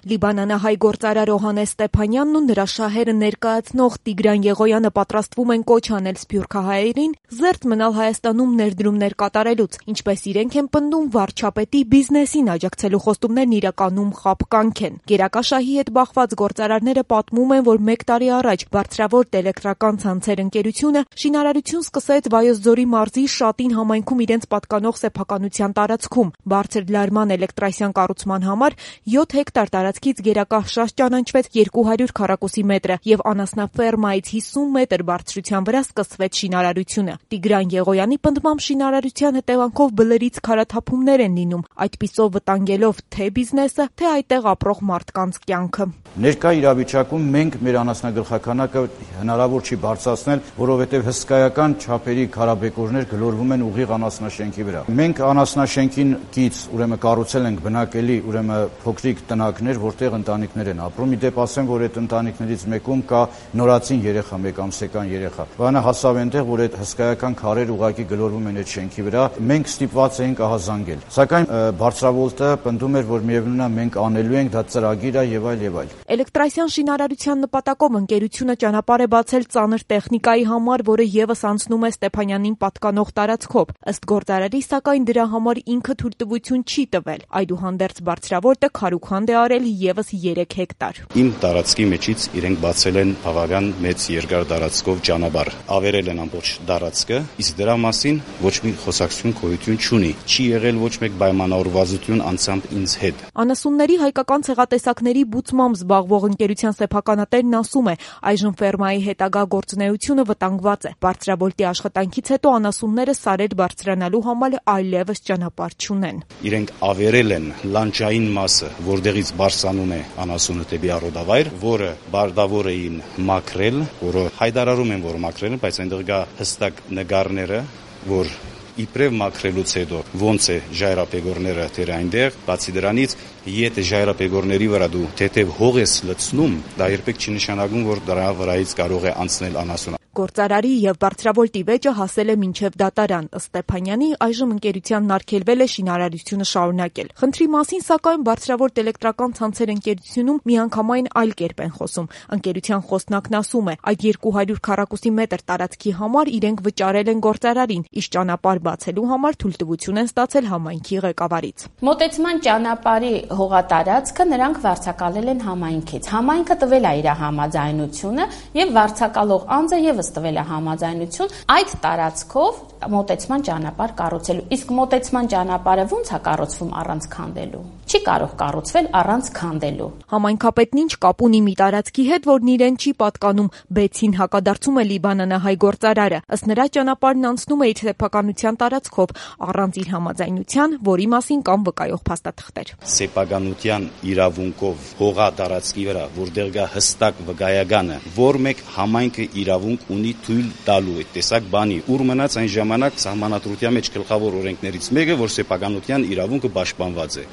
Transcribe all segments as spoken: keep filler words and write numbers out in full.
Լիբանանահայ գործարար Օհանես Ստեփանյանն ու նրա շահերը ներկայացնող Տիգրան Եղոյանը պատրաստվում են կոչ անել սփյուռքահայերին զերծ մնալ Հայաստանում ներդրումներ կատարելուց, ինչպես իրենք են պնդում, վարչապետի բիզնեսին աջակցելու խոստումներն իրականում խաբկանք են։ Գերակաշահի հետ բախված գործարարները պատմում են, որ մեկ տարի առաջ Բարձրավոր էլեկտրական ցանցեր ընկերությունը շինարարություն սկսեց Վայոց ձորի մարզի Շատին համայնքում իրենց պատկանող սեփականության տարածքում։ Բարձր լարման էլեկտրասյան կառուցման համար յոթ հեկտար տարածքից գերակաշահ ճանաչվեց երկու հարյուր քառակուսի մետրը եւ անասնաֆերմայից հիսուն մետր բարձրության վրա սկսվեց շինարարությունը։ Տիգրան Եղոյանի պնդմամբ շինարարության հետևանքով բլրից քարաթափումներ են լինում, այդպիսով վտանգելով թե բիզնեսը, թե այդտեղ ապրող մարդկանց կյանքը։ Ներկա իրավիճակում մենք մեր անասնագլխականակը հնարավոր չի բարձրացնել, որովհետև հսկայական չափերի քարաբեկորներ գլորվում են ուղիղ անասնաշենքի վրա։ Մենք անասնաշենքին կից ուրեմն կառուցել ենք բնակելի ուրեմն փոքրիկ տնակներ, որտեղ ընտանիքներ են ապրում։ Իդեպ ասեմ, որ այդ ընտանիքներից մեկում կա նորածին երեխա, մեկ ամսեկան երեխա։ Բանը հասավ այնտեղ, որ այդ հսկայական քարեր ուղակի գլորվում են այդ շենքի վրա։ Մենք ստիպված էինք ահազանգել։ Սակայն Բարձրավոլտը պնդում էր, որ միևնույն է մենք անելու ենք, դա ծրագիր է եւ այլ եւ այլ։ Էլեկտրասյան շինարարության նպատակով ընկերությունը ճանապարհ է բացել ծանր տեխնիկայի համար, որը եւս անցնում է Ստեփանյանին պատկանող տարածքով։ Ըստ գործարարի, սակայն դրա համար ինքը թույլտվություն չի տվել։ Այդուհանդերձ Բարձրավոլտը քարուքանդ է արել եւս երեք հեկտար։ Իմ տարածքի մեջից իրենք բացել են բավական մեծ երկար տարածքով ճանապարհ։ Ավերել են ամբողջ տարածքը, իսկ դրա մասին ոչ մի խոսակցություն գոյություն չունի։ Չի եղել ոչ մեկ պայմանավորվածություն անցամբ ինձ հետ։ Անասունների հայկական ցեղատեսակների բուծմամբ զբաղվող ընկերության սեփականատերն ասում է, այժմ ֆերմայի հետագա գործունեությունը վտանգված է։ Բարձրավոլտի աշխատանքից հետո անասունները սարեր բարձրանալու համար այլևս ճանապարհ չունեն։ Իրենք ավերել են լանջային մասը, որտեղից բարձրանում է անասունը դեպի առօդավայր, որը բարդավոր էին մաքրել, որը հայտարարում են, որ մաքրել են, բայց այնտեղ կա հստակ նկարները, որ իբրև մաքրելուց հետո ոնց է ժայռապեգորները դեր այնտեղ, բացի դրանից, եթե ժայռապեգորների վրա դու թեթև հող ես լցնում, դա երբեք չի նշանակում, որ դրա վրայից կարող է անցնել անասունը։ Գործարարի եւ Բարձրավոլտի վեճը հասել է մինչեւ դատարան։ Ըստ Ստեփանյանի, այժմ ընկերությանն արգելվել է շինարարությունը շարունակել։ Խնդրի մասին, սակայն, Բարձրավոլտ էլեկտրական ցանցեր ընկերությունում միանգամայն այլ կերպ են խոսում։ Ընկերության խոսնակն ասում է, այդ երկու հարյուր քառակուսի մետր տարածքի համար իրենք վճարել են գործարարին, իսկ ճանապարհ բացելու համար թույլտվություն են ստացել համայնքի ղեկավարից։ Մոտեցման ճանապարհի հողատարածքը նրանք վարձակալել են համայնքից։ Համայնքը տվել է իր համաձայնությունը եւ վարձակալող անձը եւս տվել է համաձայնություն այդ տարածքով մոտեցման ճանապարհ կառուցելու։ Իսկ մոտեցման ճանապարհը ո՞նց է կառուցվում առանց քանդելու։ Չի կարող կառուցվել առանց քանդելու։ Համայնքապետն ինչ կապ ունի մի տարածքի հետ, որն իրեն չի պատկանում, բեցին հակադարձում է լիբանանահայ գործարարը։ Ըստ նրա, ճանապարհն անցնում է իր սեփականության տարածքով առանց իր համաձայնության, որի մասին կան վկայող փաստաթղթեր։ Սեփականության իրավունքով հողա տարածքի վրա, որտեղ կա հստակ վկայականը, որ մեկ համայնքը իրավունք ունի թույլ տալու այդ տեսակ բանի, ուր մնաց այն ժամանակ սահմանադրության մեջ գլխավոր օրենքներից մեկը, որ սեփականության իրավունքը պաշտպանված է։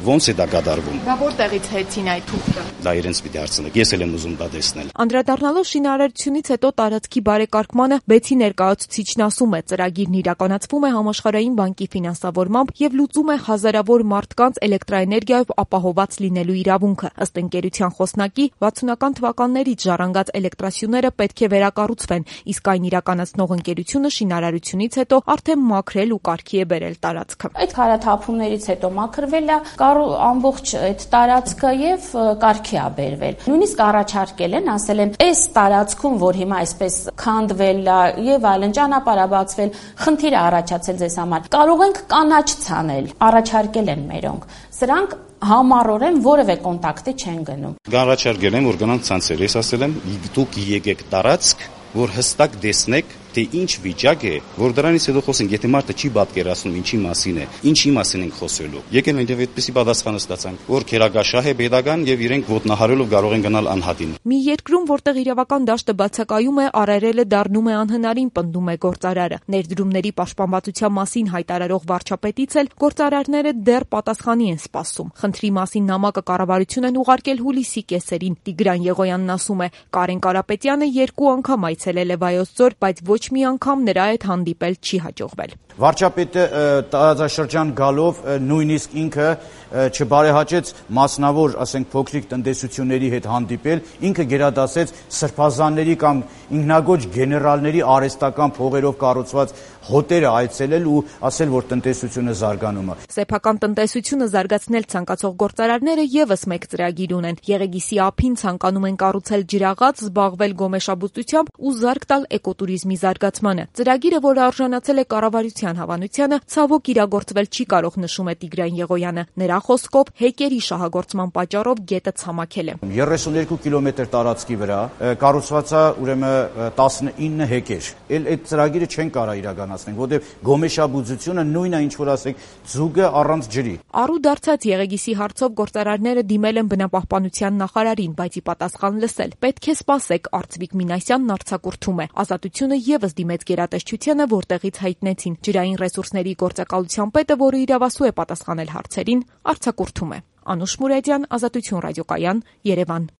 Ոնց է դա կատարվում։ Բա որտեղից հեծին այդ թուղթը։ Դա իրենց պիտի հարցնեք։ Ես էլ եմ ուզում դա տեսնել։ Անդրադառնալով շինարարությունից հետո տարածքի բարեկարգմանը բեցի ներկայացուցիչն ասում է, ծրագիրն իրականացվում է Համաշխարհային բանկի ֆինանսավորմամբ եւ լուծում է հազարավոր մարդկանց էլեկտրաէներգիայով ապահովված լինելու իրավունքը։ Ըստ ընկերության խոսնակի, վաթսունական թվականներից ժառանգած էլեկտրասյուները պետք է վերակառուցվեն, իսկ այն իրականացնող ընկերությունը շինարարությունից հետո արդեն մաքրել ու կարգի է բերել տարածքը։ Այդ քարաթափումներից հետո մաքրվել է ամբողջ այդ տարածքը եւ կարգի է բերվել։ Նույնիսկ առաջարկել են, ասել են, այս տարածքում, որ հիմա այսպես քանդվել է եւ այլն ճանապարհ է բացվել, խնդիր է առաջացել ձեզ համար։ Կարող ենք կանաչ ցանել, առաջարկել են մերոնք։ Սրանք համառորեն որևէ կոնտակտի չեն գնում։ Առաջարկել են, որ գնանք ցանցեր։ Ես ասել եմ, դուք եկեք տարածք, որ հստակ տեսնեք, թե ինչ վիճակ է, որ դրանից հետո խոսենք, եթե մարդը չի պատկերացնում ինչի մասին է, ինչի մասին ենք խոսելու։ Եկել են եւ այդպեսի պատասխանը ստացանք, որ քերագաշահ է pedagogan եւ իրենք ոտնահարելով կարող են գնալ անհատին։ Մի երկրում, որտեղ իրավական դաշտը բացակայում է, արարելը դառնում է անհնարին, պնդում է գործարարը։ Ներդրումների պաշտպանվածության մասին հայտարարող վարչապետից էլ գործարարները դեռ պատասխանի են սպասում։ Խնդրի մասին նամակը կառավարություն են ուղարկել հուլիսի կեսերին։ Տիգրան Եղոյանն ասում է, Կարեն Կարապետյանը երկու անգամ այցելել է Վայոց ձոր, բայց ոչ մի անգամ նրա հետ հանդիպել չի հաջողվել։ Վարչապետը տարածաշրջան գալով նույնիսկ ինքը չբարեհաճեց մասնավոր, ասենք, փոքրիկ տնտեսությունների հետ հանդիպել, ինքը գերադասեց սրբազանների կամ ինքնագոչ գեներալների արհեստական փողերով կառուցված հոտերը այցելել ու ասել, որ տնտեսությունը զարգանում է։ Սեփական տնտեսությունը զարգացնել ցանկացող գործարարները եւս մեկ ծրագիր ունեն։ Եղեգիսի ափին ցանկանում են կառուցել ջրաղաց, զբաղվել գոմեշաբուծությամբ ու զարգ տալ էկոտուրիզմի զարգացմանը։ Ծրագիրը, որը արժանացել է կառավարության հավանությանը, ցավոք իրագործվել չի կարող, նշում է Տիգրան Եղոյանը։ Նրա խոսքով հեկերի շահագործման պատճառով գետը ցամաքել է։ երեսունյոթ կիլոմետր տարածքի վրա կառուցված է ուրեմն տասնինը հեկեր։ Էլ այդ ծրագիրը չեն կարող իրականացնել, որտեղ գոմեշաբուծությունը նույնն է, ինչ որ ասեք, ձուկը առանց ջրի։ Առու դարձած Եղեգիսի հարցով գործարարները դիմել են բնապահպանության նախարարին, բայց ի պատասխան լսել։ Պետք է սպասեք, Արծվիկ Մինասյանն արձակուրդում է։ Ազատությունը եւս դիմեց գերատեսչությանը, որտեղից հայտնեցին ջրային ռեսուրսների գործակալության պետը, որը իրավասու է պատասխանել հարցերին, արձակուրդում է։ Անուշ Մուրադյան, Ազատություն ռադիոկայան, Երևան։